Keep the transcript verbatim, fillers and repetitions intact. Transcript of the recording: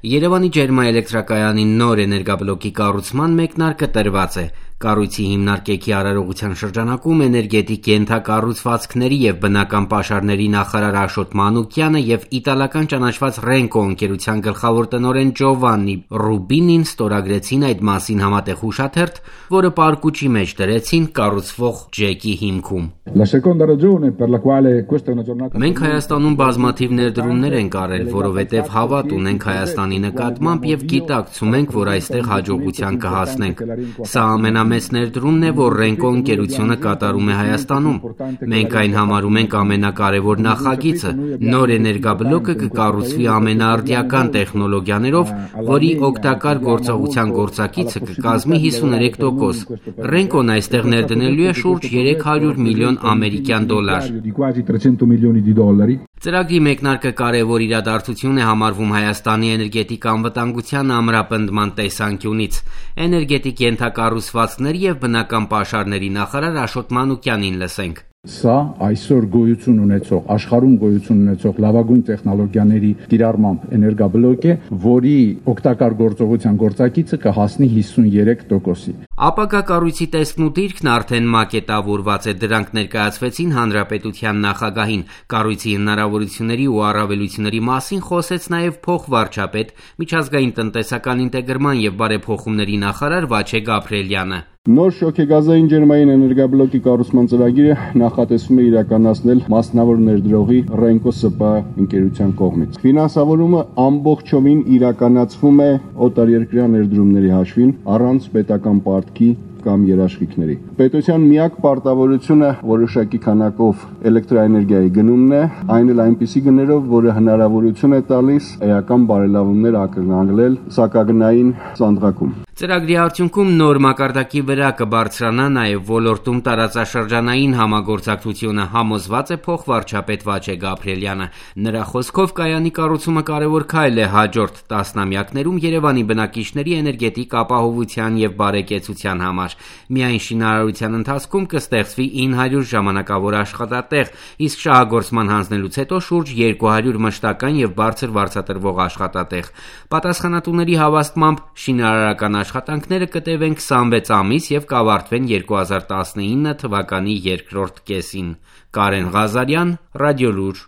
Երևանի ջերմաէլեկտրակայանի նոր էներգաբլոկի կառուցման մեկնարկը տրված է։ Կառույցի հիմնարկեքի արարողության շրջանակում էներգետիկ ենթակառուցվածքների և բնական պաշարների նախարար Աշոտ Մանուկյանը և իտալական ճանաչված Renco ընկերության գլխավոր տնօրեն Ջովաննի Ռուբինին ստորագրեցին այդ մասին համատեղ հուշաթերթ, որը պարկուճի մեջ դրեցին կառուցվող ջեկի հիմքում։ Մենք Հայաստանում բազմաթիվ ներդրումներ ենք արել, որովհետև հավատ ունենք Հայաստանի նկատմամբ և գիտակցում ենք, որ այստեղ հաջողության կհասնենք։ Սա ամենամեծ ներդրումն է, որ Renco ընկերությունը կատարում է Հայաստանում։ Մենք այն համարում ենք ամենակարևոր նախագիծը։ Նոր էներգաբլոկը կկառուցվի ամենաարդիական տեխնոլոգիաներով, որի օգտակար գործողության գործակիցը կկազմի հիսուներեք տոկոս։ Renco-ն այստեղ ներդնելու է շուրջ երեք հարյուր միլիոն ամերիկյան դոլար։ Ծրագրի մեկնարկը կարևոր իրադարձություն է համարվում Հայաստանի էներգետիկ անվտանգության ամրապնդման տեսանկյունից։ Էներգետիկ ենթակառուցվածքների և բնական պաշարների նախարար Աշոտ Մանուկյանին լսենք։ Սա այսօր գոյություն ունեցող, աշխարհում գոյություն ունեցող լավագույն տեխնոլոգիաների կիրառմամբ էներգաբլոկ է, որի օգտակար գործողության գործակիցը կհասնի հիսուներեք տոկոսի։ Ապագա կառույցի տեսքն ու դիրքն արդեն մակետավորված է, դրանք ներկայացվեցին հանրապետության նախագահին։ Կառույցի հնարավորությունների ու առավելությունների մասին խոսեց նաև փոխվարչապետ, միջազգային տնտեսական ինտեգրման և բարեփոխումների նախարար Վաչե Գաբրիելյանը։ Նոր շոգեգազային ջերմային էներգաբլոկի կառուցման ծրագիրը նախատեսվում է իրականացնել մասնավոր ներդրողի Renco ՍՊ ընկերության կողմից։ Ֆինանսավորումը ամբողջովին իրականացվում է օտարերկրյա ներդրումների հաշվին, առանց պետական պարտքի կամ երաշխիքների։ Պետության միակ պարտավորությունը որոշակի քանակով էլեկտրաէներգիայի գնումն է, այն էլ այնպիսի գներով, որը հնարավորություն է տալիս էական բարելավումներ ակնկալել սակագնային ծանրակում։ Ծրագրի արդյունքում նոր մակարդակի վրա կբարձրանա նաև ոլորտում տարածաշրջանային համագործակցությունը, համոզված է փոխվարչապետ Վաչե Գաբրիելյանը։ Նրա խոսքով կայանի կառուցումը կարևոր քայլ է հաջորդ տասնամյակներում Երևանի բնակիչների էներգետիկ ապահովության և բարեկեցության համար։ Միայն շինարարության ընթացքում կստեղծվի ինը հարյուր ժամանակավոր աշխատատեղ, իսկ շահագործման հանձնելուց հետո շուրջ երկու հարյուր մշտական և բարձր վարձատրվող աշխատատեղ։ Պատասխանատուների հավաստմամբ շինարարական աշխատանքները կտևեն քսանվեց ամիս և կավարտվեն երկու հազար տասնինը թվականի երկրորդ կեսին։ Կարեն Ղազարյան, Ռադիոլուր։